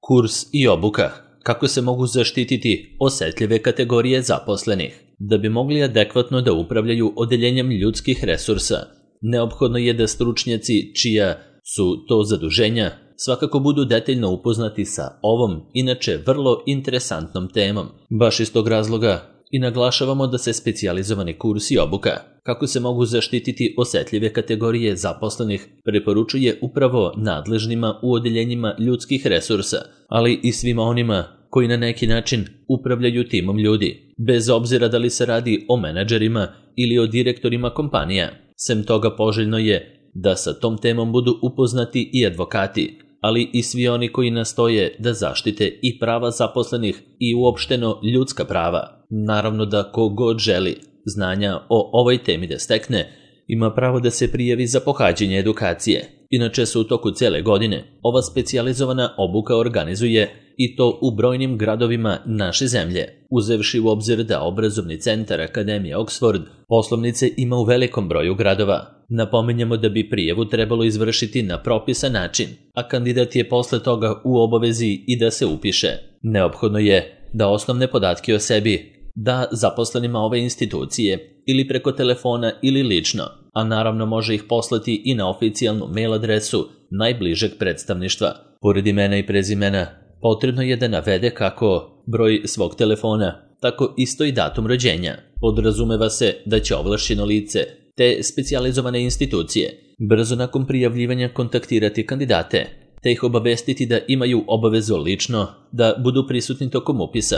Kurs i obuka. Kako se mogu zaštititi osetljive kategorije zaposlenih? Da bi mogli adekvatno da upravljaju odeljenjem ljudskih resursa, neophodno je da stručnjaci čija su to zaduženja svakako budu detaljno upoznati sa ovom, inače vrlo interesantnom temom. Baš iz tog razloga i naglašavamo da se specijalizovani kurs i obuka kako se mogu zaštititi osetljive kategorije zaposlenih preporučuje upravo nadležnima u odeljenjima ljudskih resursa, ali i svima onima koji na neki način upravljaju timom ljudi, bez obzira da li se radi o menadžerima ili o direktorima kompanija. Sem toga poželjno je da sa tom temom budu upoznati i advokati, ali i svi oni koji nastoje da zaštite i prava zaposlenih i uopšteno ljudska prava. Naravno da ko god želi znanja o ovoj temi da stekne, ima pravo da se prijavi za pohađanje edukacije. Inače se u toku cele godine ova specijalizovana obuka organizuje i to u brojnim gradovima naše zemlje, uzevši u obzir da obrazovni centar Akademije Oxford poslovnice ima u velikom broju gradova. Napominjemo da bi prijavu trebalo izvršiti na propisan način, a kandidat je posle toga u obavezi i da se upiše. Neophodno je da osnovne podatke o sebi da zaposlenima ove institucije ili preko telefona ili lično, a naravno može ih poslati i na oficijalnu mail adresu najbližeg predstavništva. Pored imena i prezimena, potrebno je da navede kako broj svog telefona, tako isto i datum rođenja. Podrazumeva se da će ovlašćeno lice te specijalizovane institucije brzo nakon prijavljivanja kontaktirati kandidate, te ih obavestiti da imaju obavezu lično da budu prisutni tokom upisa.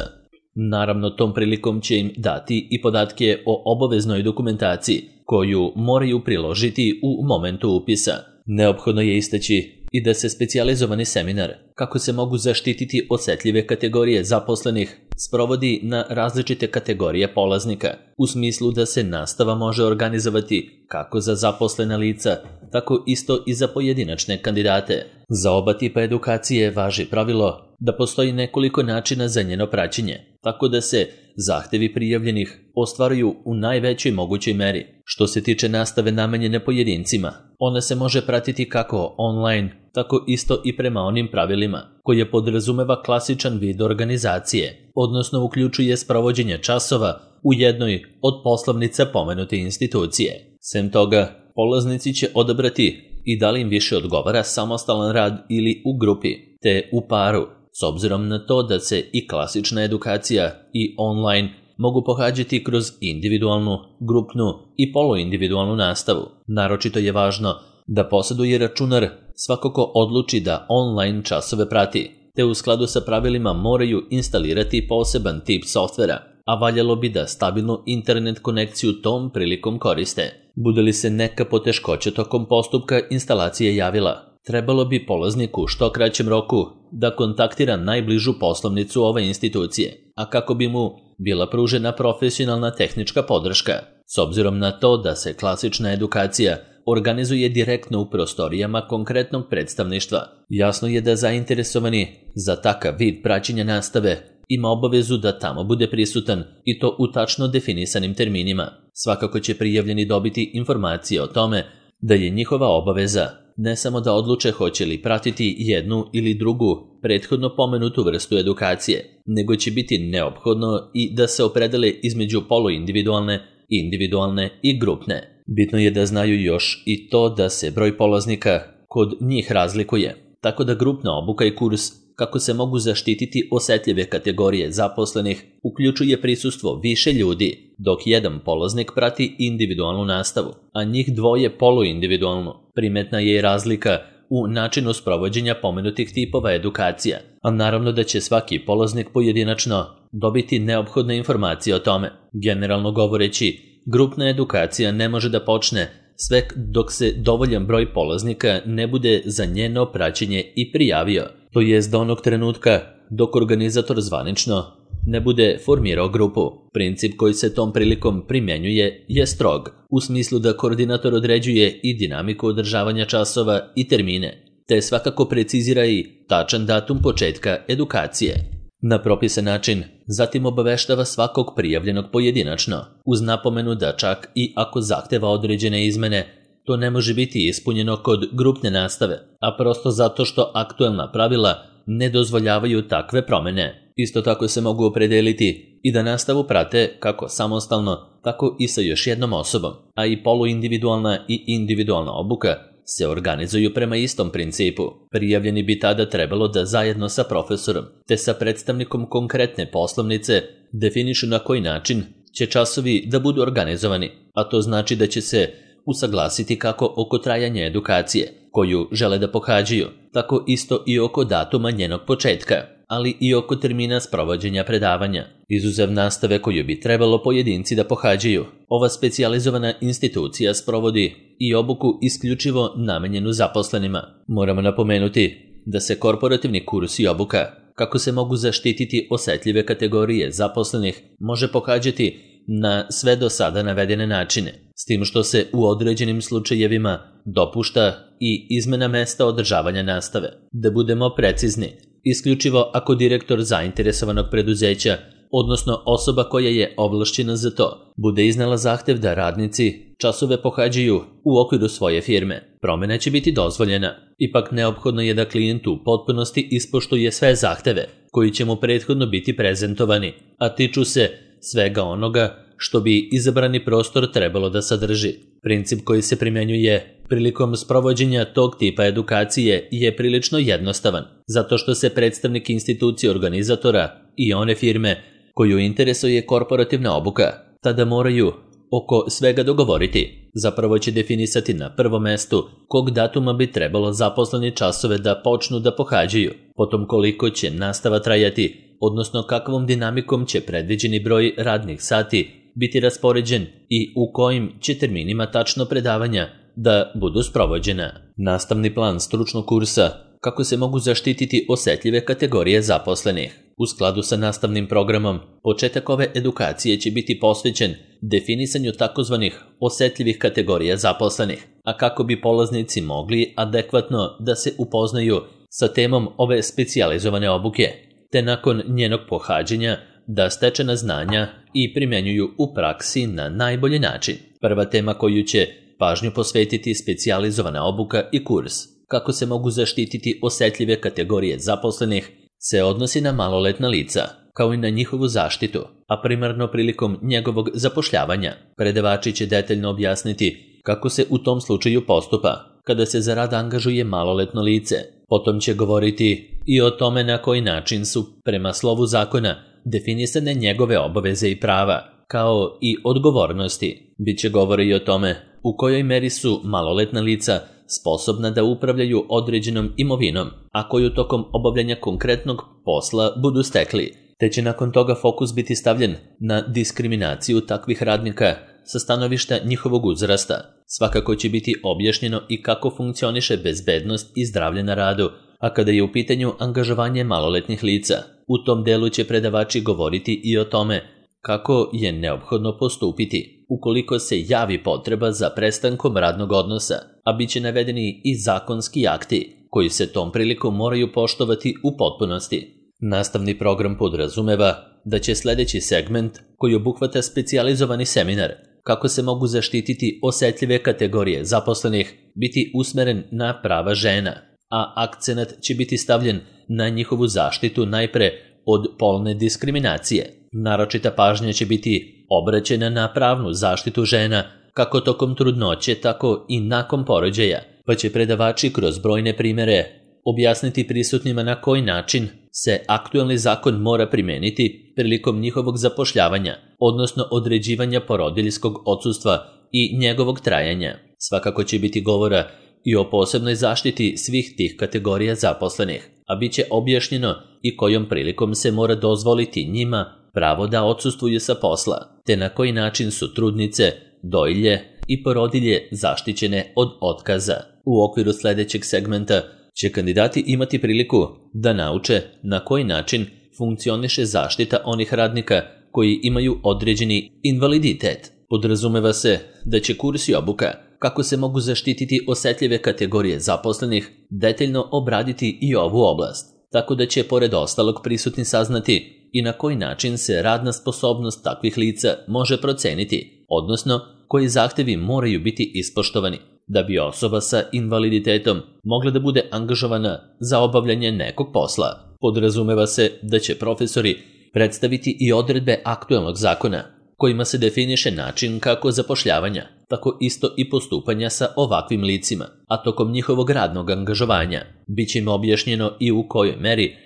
Naravno, tom prilikom će im dati i podatke o obaveznoj dokumentaciji koju moraju priložiti u momentu upisa. Neophodno je istaći i da se specijalizovani seminar kako se mogu zaštititi osetljive kategorije zaposlenih sprovodi na različite kategorije polaznika, u smislu da se nastava može organizovati kako za zaposlena lica, tako isto i za pojedinačne kandidate. Za oba tipa edukacije važi pravilo da postoji nekoliko načina za njeno praćenje, tako da se zahtevi prijavljenih ostvaruju u najvećoj mogućoj meri. Što se tiče nastave namenjene pojedincima, ona se može pratiti kako online, tako isto i prema onim pravilima koje podrazumeva klasičan vid organizacije, odnosno uključuje sprovođenje časova u jednoj od poslovnica pomenute institucije. Sem toga, polaznici će odabrati i da li im više odgovara samostalan rad ili u grupi, te u paru, s obzirom na to da se i klasična edukacija i online mogu pohađati kroz individualnu, grupnu i poluindividualnu nastavu. Naročito je važno da posjeduje računar svako ko odluči da online časove prati, te u skladu sa pravilima moraju instalirati poseban tip softvera, a valjalo bi da stabilnu internet konekciju tom prilikom koriste. Bude li se neka poteškoća tokom postupka instalacije javila, trebalo bi polazniku u što kraćem roku da kontaktira najbližu poslovnicu ove institucije, a kako bi mu bila pružena profesionalna tehnička podrška. S obzirom na to da se klasična edukacija organizuje direktno u prostorijama konkretnog predstavništva, jasno je da zainteresovani za takav vid praćenja nastave ima obavezu da tamo bude prisutan i to u tačno definisanim terminima. Svakako će prijavljeni dobiti informacije o tome da je njihova obaveza ne samo da odluče hoće li pratiti jednu ili drugu prethodno pomenutu vrstu edukacije, nego će biti neophodno i da se opredele između poluindividualne, individualne i grupne. Bitno je da znaju još i to da se broj polaznika kod njih razlikuje, tako da grupna obuka i kurs kako se mogu zaštititi osetljive kategorije zaposlenih uključuje prisustvo više ljudi, dok jedan polaznik prati individualnu nastavu, a njih dvoje poluindividualnu. Primetna je i razlika u načinu sprovođenja pomenutih tipova edukacija, a naravno da će svaki polaznik pojedinačno dobiti neophodne informacije o tome. Generalno govoreći, grupna edukacija ne može da počne sve dok se dovoljan broj polaznika ne bude za njeno praćenje i prijavio, to jest do onog trenutka dok organizator zvanično ne bude formirao grupu. Princip koji se tom prilikom primjenjuje je strog, u smislu da koordinator određuje i dinamiku održavanja časova i termine, te svakako precizira i tačan datum početka edukacije. Na propisan način, zatim obaveštava svakog prijavljenog pojedinačno, uz napomenu da čak i ako zahteva određene izmene, to ne može biti ispunjeno kod grupne nastave, a prosto zato što aktuelna pravila ne dozvoljavaju takve promjene. Isto tako se mogu opredeliti i da nastavu prate kako samostalno, tako i sa još jednom osobom, a i poluindividualna i individualna obuka se organizuju prema istom principu. Prijavljeni bi tada trebalo da zajedno sa profesorom te sa predstavnikom konkretne poslovnice definišu na koji način će časovi da budu organizovani, a to znači da će se usaglasiti kako oko trajanja edukacije koju žele da pohađaju, tako isto i oko datuma njenog početka, ali i oko termina sprovođenja predavanja, izuzev nastave koju bi trebalo pojedinci da pohađaju. Ova specijalizovana institucija sprovodi i obuku isključivo namenjenu zaposlenima. Moramo napomenuti da se korporativni kurs i obuka, kako se mogu zaštititi osetljive kategorije zaposlenih, može pohađati na sve do sada navedene načine, s tim što se u određenim slučajevima dopušta i izmena mesta održavanja nastave. Da budemo precizni, isključivo ako direktor zainteresovanog preduzeća, odnosno osoba koja je ovlašćena za to, bude iznala zahtev da radnici časove pohađaju u okviru svoje firme, promjena će biti dozvoljena. Ipak neophodno je da klijent u potpunosti ispoštuje sve zahteve koji će mu prethodno biti prezentovani, a tiču se svega onoga što bi izabrani prostor trebalo da sadrži. Princip koji se primjenjuje prilikom sprovođenja tog tipa edukacije je prilično jednostavan, zato što se predstavnik institucije organizatora i one firme koju interesuje korporativna obuka tada moraju oko svega dogovoriti. Zapravo će definisati na prvom mestu kog datuma bi trebalo zaposleni časove da počnu da pohađaju, potom koliko će nastava trajati, odnosno kakvom dinamikom će predviđeni broj radnih sati biti raspoređen i u kojim će terminima tačno predavanja da budu sprovođena. Nastavni plan stručnog kursa kako se mogu zaštititi osetljive kategorije zaposlenih. U skladu sa nastavnim programom, početak ove edukacije će biti posvećen definisanju takozvanih osetljivih kategorija zaposlenih, a kako bi polaznici mogli adekvatno da se upoznaju sa temom ove specijalizovane obuke, te nakon njenog pohađanja da stečena znanja i primjenjuju u praksi na najbolji način. Prva tema koju će pažnju posvetiti specijalizovana obuka i kurs kako se mogu zaštititi osetljive kategorije zaposlenih se odnosi na maloletna lica, kao i na njihovu zaštitu, a primarno prilikom njegovog zapošljavanja. Predavači će detaljno objasniti kako se u tom slučaju postupa kada se za rad angažuje maloletno lice. Potom će govoriti i o tome na koji način su prema slovu zakona definisane njegove obaveze i prava, kao i odgovornosti. Biće govora i o tome u kojoj meri su maloletna lica sposobna da upravljaju određenom imovinom, a koju tokom obavljanja konkretnog posla budu stekli, te će nakon toga fokus biti stavljen na diskriminaciju takvih radnika sa stanovišta njihovog uzrasta. Svakako će biti objašnjeno i kako funkcioniše bezbednost i zdravlje na radu, a kada je u pitanju angažovanje maloletnih lica, u tom delu će predavači govoriti i o tome kako je neophodno postupiti ukoliko se javi potreba za prestankom radnog odnosa, a bit će navedeni i zakonski akti koji se tom prilikom moraju poštovati u potpunosti. Nastavni program podrazumeva da će sljedeći segment koji obuhvata specijalizovani seminar kako se mogu zaštititi osetljive kategorije zaposlenih biti usmeren na prava žena, a akcenat će biti stavljen na njihovu zaštitu najpre od polne diskriminacije. Naročita pažnja će biti obraćena na pravnu zaštitu žena kako tokom trudnoće, tako i nakon porođaja, pa će predavači kroz brojne primere objasniti prisutnima na koji način se aktualni zakon mora primeniti prilikom njihovog zapošljavanja, odnosno određivanja porodiljskog odsustva i njegovog trajanja. Svakako će biti govora i o posebnoj zaštiti svih tih kategorija zaposlenih, a bit će objašnjeno i kojom prilikom se mora dozvoliti njima pravo da odsustvuju sa posla, te na koji način su trudnice, dojilje i porodilje zaštićene od otkaza. U okviru sljedećeg segmenta će kandidati imati priliku da nauče na koji način funkcioniše zaštita onih radnika koji imaju određeni invaliditet. Podrazumeva se da će kurs i obuka kako se mogu zaštititi osetljive kategorije zaposlenih detaljno obraditi i ovu oblast, tako da će pored ostalog prisutni saznati i na koji način se radna sposobnost takvih lica može proceniti, odnosno koji zahtevi moraju biti ispoštovani. da bi osoba sa invaliditetom mogla da bude angažovana za obavljanje nekog posla. Podrazumeva se da će profesori predstaviti i odredbe aktuelnog zakona, kojima se definiše način kako zapošljavanja, tako isto i postupanja sa ovakvim licima, a tokom njihovog radnog angažovanja biće im objašnjeno i u kojoj meri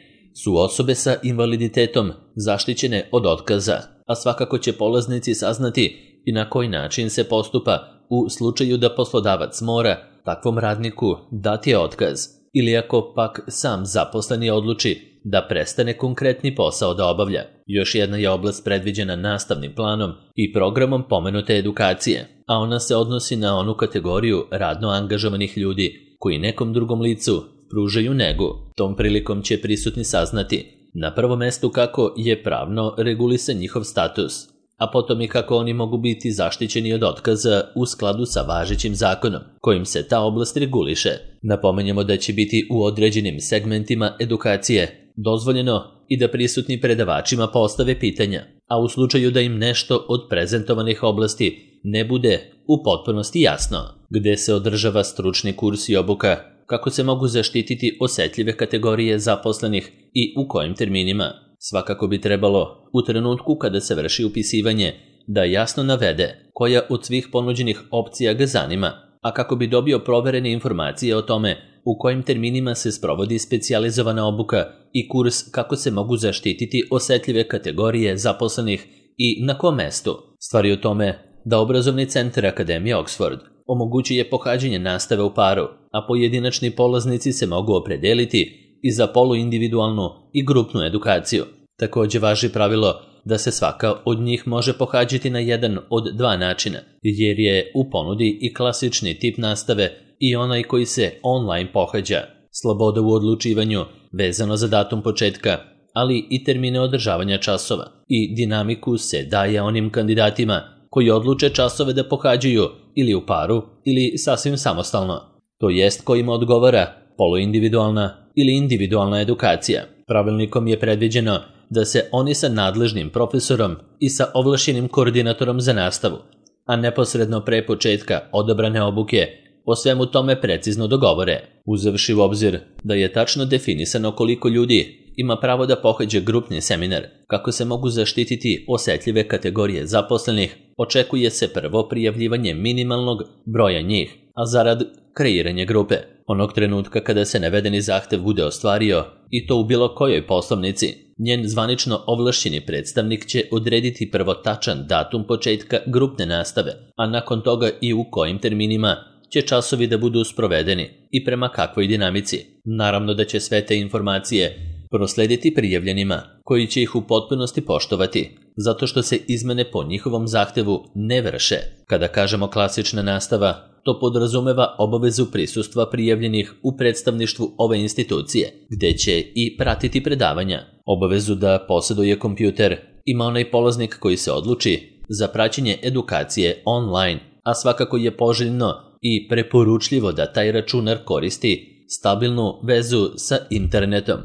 su osobe sa invaliditetom zaštićene od otkaza, a svakako će polaznici saznati i na koji način se postupa u slučaju da poslodavac mora takvom radniku dati otkaz ili ako pak sam zaposleni odluči da prestane konkretni posao da obavlja. Još jedna je oblast predviđena nastavnim planom i programom pomenute edukacije, a ona se odnosi na onu kategoriju radno angažovanih ljudi koji nekom drugom licu pružaju negu. Tom prilikom će prisutni saznati na prvom mestu kako je pravno regulisan njihov status, a potom i kako oni mogu biti zaštićeni od otkaza u skladu sa važećim zakonom, kojim se ta oblast reguliše. Napomenjemo da će biti u određenim segmentima edukacije dozvoljeno i da prisutni predavačima postave pitanja, a u slučaju da im nešto od prezentovanih oblasti ne bude u potpunosti jasno, gde se održava stručni kurs i obuka, kako se mogu zaštititi osetljive kategorije zaposlenih i u kojim terminima. Svakako bi trebalo, u trenutku kada se vrši upisivanje, da jasno navede koja od svih ponuđenih opcija ga zanima, a kako bi dobio proverene informacije o tome u kojim terminima se sprovodi specijalizovana obuka i kurs kako se mogu zaštititi osetljive kategorije zaposlenih i na kom mestu. Stvar je u tome da obrazovni centar Akademije Oxford omogućuje pohađanje nastave u paru, a pojedinačni polaznici se mogu opredeliti i za poluindividualnu i grupnu edukaciju. Također važi pravilo da se svaka od njih može pohađati na jedan od dva načina, jer je u ponudi i klasični tip nastave i onaj koji se online pohađa. Sloboda u odlučivanju vezano za datum početka, ali i termine održavanja časova i dinamiku se daje onim kandidatima koji odluče časove da pohađaju ili u paru ili sasvim samostalno, to jest kojima odgovara poluindividualna ili individualna edukacija. Pravilnikom je predviđeno da se oni sa nadležnim profesorom i sa ovlašćenim koordinatorom za nastavu, a neposredno pre početka odabrane obuke, o svemu tome precizno dogovore, uzevši u obzir da je tačno definisano koliko ljudi ima pravo da pohađa grupni seminar, kako se mogu zaštititi osetljive kategorije zaposlenih, očekuje se prvo prijavljivanje minimalnog broja njih, a zarad kreiranje grupe. Onog trenutka kada se navedeni zahtev bude ostvario, i to u bilo kojoj poslovnici, njen zvanično ovlašćeni predstavnik će odrediti prvo tačan datum početka grupne nastave, a nakon toga i u kojim terminima će časovi da budu sprovedeni i prema kakvoj dinamici. Naravno da će sve te informacije proslediti prijavljenima, koji će ih u potpunosti poštovati, zato što se izmene po njihovom zahtevu ne vrše. Kada kažemo klasična nastava, to podrazumeva obavezu prisustva prijavljenih u predstavništvu ove institucije, gde će i pratiti predavanja. Obavezu da posjeduje kompjuter ima onaj polaznik koji se odluči za praćenje edukacije online, a svakako je poželjno i preporučljivo da taj računar koristi stabilnu vezu sa internetom,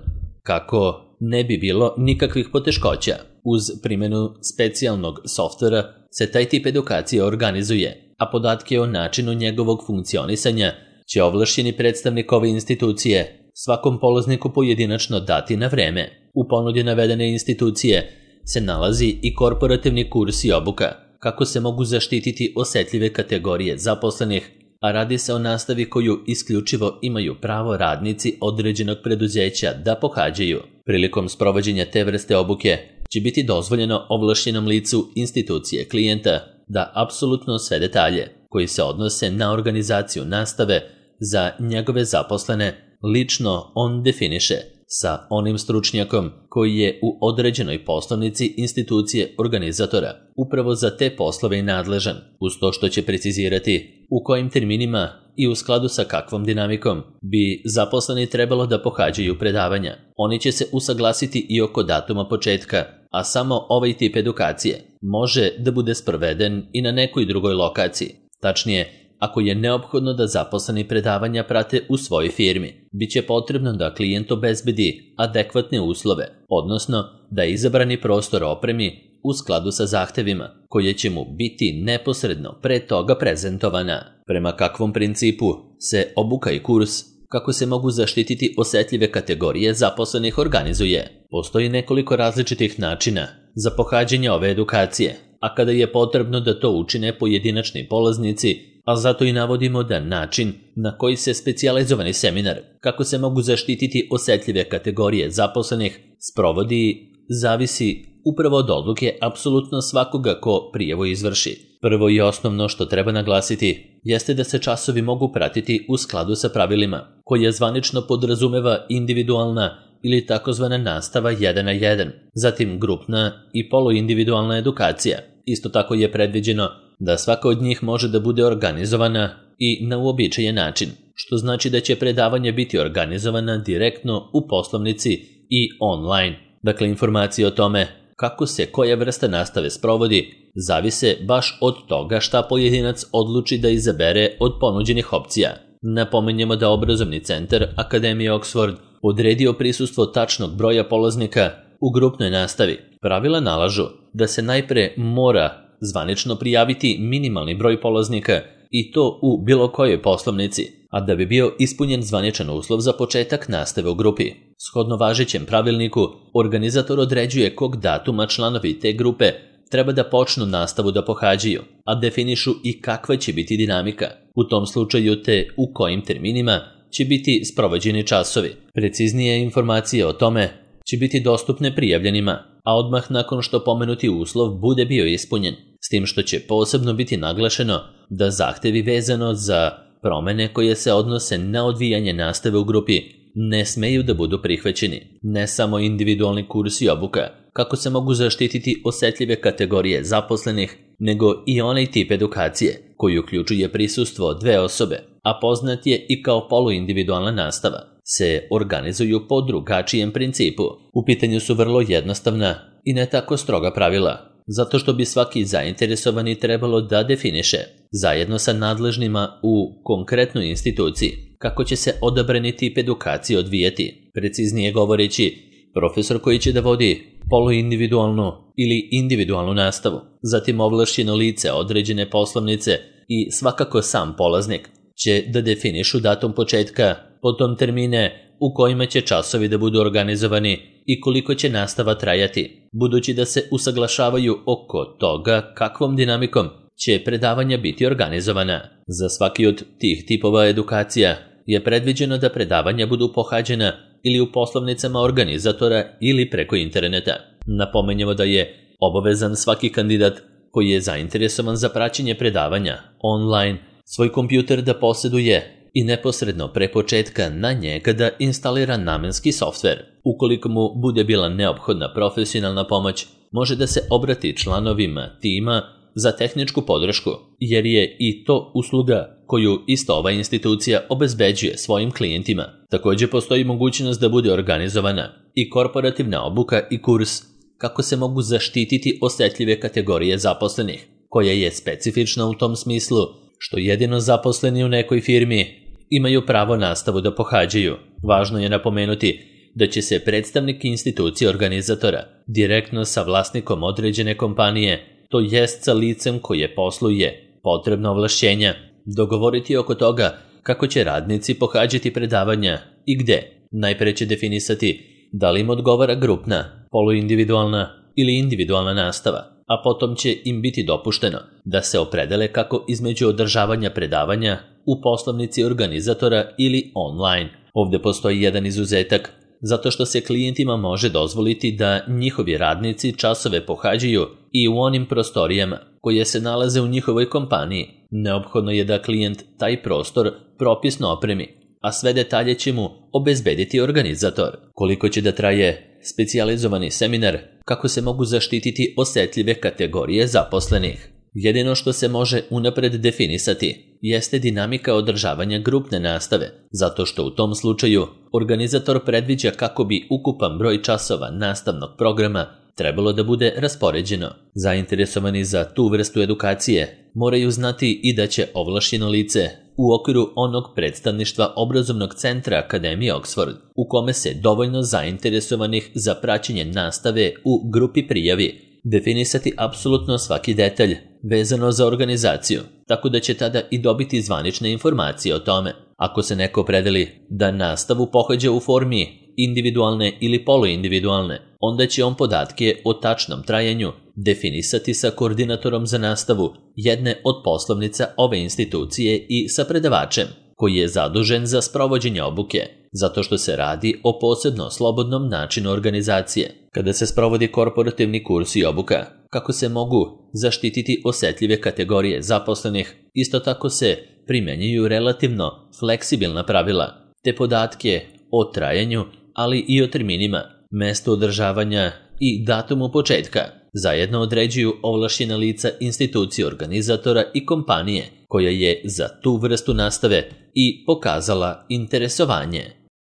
kako ne bi bilo nikakvih poteškoća. Uz primjenu specijalnog softvera se taj tip edukacije organizuje, a podatke o načinu njegovog funkcionisanja će ovlašćeni predstavnik ove institucije svakom polazniku pojedinačno dati na vreme. U ponudi navedene institucije se nalazi i korporativni kurs i obuka, kako se mogu zaštititi osetljive kategorije zaposlenih, a radi se o nastavi koju isključivo imaju pravo radnici određenog preduzeća da pohađaju. Prilikom sprovođenja te vrste obuke će biti dozvoljeno ovlašćenom licu institucije klijenta da apsolutno sve detalje koji se odnose na organizaciju nastave za njegove zaposlene lično on definiše sa onim stručnjakom koji je u određenoj poslovnici institucije organizatora upravo za te poslove i nadležan, uz to što će precizirati u kojim terminima i u skladu sa kakvom dinamikom bi zaposleni trebalo da pohađaju predavanja. Oni će se usaglasiti i oko datuma početka, a samo ovaj tip edukacije može da bude sproveden i na nekoj drugoj lokaciji. Tačnije, ako je neophodno da zaposleni predavanja prate u svojoj firmi, bit će potrebno da klijent obezbedi adekvatne uslove, odnosno da izabrani prostor opremi u skladu sa zahtevima. koje će mu biti neposredno pre toga prezentovana. Prema kakvom principu se obuka i kurs kako se mogu zaštititi osetljive kategorije zaposlenih organizuje. Postoji nekoliko različitih načina za pohađanje ove edukacije, a kada je potrebno da to učine pojedinačni polaznici, a zato i navodimo da način na koji se specijalizovani seminar kako se mogu zaštititi osetljive kategorije zaposlenih sprovodi zavisi upravo od odluke apsolutno svakoga ko prijavu izvrši. Prvo i osnovno što treba naglasiti jeste da se časovi mogu pratiti u skladu sa pravilima, koja zvanično podrazumeva individualna ili takozvana nastava 1 na 1, zatim grupna i poluindividualna edukacija. Isto tako je predviđeno da svaka od njih može da bude organizovana i na uobičajen način, što znači da će predavanja biti organizovana direktno u poslovnici i online. Dakle, informacije o tome kako se koja vrsta nastave sprovodi zavise baš od toga šta pojedinac odluči da izabere od ponuđenih opcija. Napomenjemo da obrazovni centar Akademije Oxford odredio prisustvo tačnog broja polaznika u grupnoj nastavi. Pravila nalažu da se najpre mora zvanično prijaviti minimalni broj polaznika i to u bilo kojoj poslovnici, a da bi bio ispunjen zvaničan uslov za početak nastave u grupi. Shodno važećem pravilniku, organizator određuje kog datuma članovi te grupe treba da počnu nastavu da pohađaju, a definišu i kakva će biti dinamika. U tom slučaju te u kojim terminima će biti sprovođeni časovi. Preciznije informacije o tome će biti dostupne prijavljenima, a odmah nakon što pomenuti uslov bude bio ispunjen, s tim što će posebno biti naglašeno da zahtevi vezano za promene koje se odnose na odvijanje nastave u grupi ne smeju da budu prihvaćeni. Ne samo individualni kurs i obuka, kako se mogu zaštititi osetljive kategorije zaposlenih, nego i onaj tip edukacije koji uključuje prisustvo 2 osobe, a poznat je i kao poluindividualna nastava, se organizuju po drugačijem principu. U pitanju su vrlo jednostavna i ne tako stroga pravila, zato što bi svaki zainteresovani trebalo da definiše, zajedno sa nadležnima u konkretnoj instituciji, kako će se odabrani tip edukacije odvijati. Preciznije govoreći, profesor koji će da vodi poluindividualnu ili individualnu nastavu, zatim ovlašćeno lice određene poslovnice i svakako sam polaznik će da definišu datum početka, potom termine u kojima će časovi da budu organizovani i koliko će nastava trajati, budući da se usaglašavaju oko toga kakvom dinamikom će predavanja biti organizovana. Za svaki od tih tipova edukacija je predviđeno da predavanja budu pohađena ili u poslovnicama organizatora ili preko interneta. Napomenjemo da je obavezan svaki kandidat koji je zainteresovan za praćenje predavanja online svoj kompjuter da posjeduje i neposredno pre početka na njega da instalira namenski softver. Ukoliko mu bude bila neophodna profesionalna pomoć, može da se obrati članovima tima za tehničku podršku, jer je i to usluga koju isto ova institucija obezbeđuje svojim klijentima. Također postoji mogućnost da bude organizovana i korporativna obuka i kurs kako se mogu zaštititi osetljive kategorije zaposlenih, koja je specifična u tom smislu što jedino zaposleni u nekoj firmi imaju pravo nastavu da pohađaju. Važno je napomenuti da će se predstavnik institucije organizatora direktno sa vlasnikom određene kompanije, to jest sa licem koje posluje potrebna ovlašćenja, dogovoriti oko toga kako će radnici pohađati predavanja i gde. Najpre će definisati da li im odgovara grupna, poluindividualna ili individualna nastava, a potom će im biti dopušteno da se opredele kako između održavanja predavanja u poslovnici organizatora ili online. Ovdje postoji jedan izuzetak, zato što se klijentima može dozvoliti da njihovi radnici časove pohađaju i u onim prostorijama koje se nalaze u njihovoj kompaniji. Neophodno je da klijent taj prostor propisno opremi, a sve detalje će mu obezbediti organizator. Koliko će da traje specijalizovani seminar, kako se mogu zaštititi osetljive kategorije zaposlenih. Jedino što se može unapred definisati jeste dinamika održavanja grupne nastave, zato što u tom slučaju organizator predviđa kako bi ukupan broj časova nastavnog programa trebalo da bude raspoređeno. Zainteresovani za tu vrstu edukacije moraju znati i da će ovlašćeno lice u okviru onog predstavništva obrazovnog centra Akademije Oxford, u kome se dovoljno zainteresovanih za praćenje nastave u grupi prijavi, definisati apsolutno svaki detalj vezano za organizaciju, tako da će tada i dobiti zvanične informacije o tome. Ako se neko opredeli da nastavu pohađa u formi individualne ili poluindividualne, onda će on podatke o tačnom trajanju definisati sa koordinatorom za nastavu jedne od poslovnica ove institucije i sa predavačem, koji je zadužen za sprovođenje obuke, zato što se radi o posebno slobodnom načinu organizacije. Kada se sprovodi korporativni kurs i obuka, kako se mogu zaštititi osetljive kategorije zaposlenih, isto tako se primenjuju relativno fleksibilna pravila, te podatke o trajanju, ali i o terminima, mesto održavanja i datumu početka zajedno određuju ovlašćena lica institucije organizatora i kompanije koja je za tu vrstu nastave i pokazala interesovanje.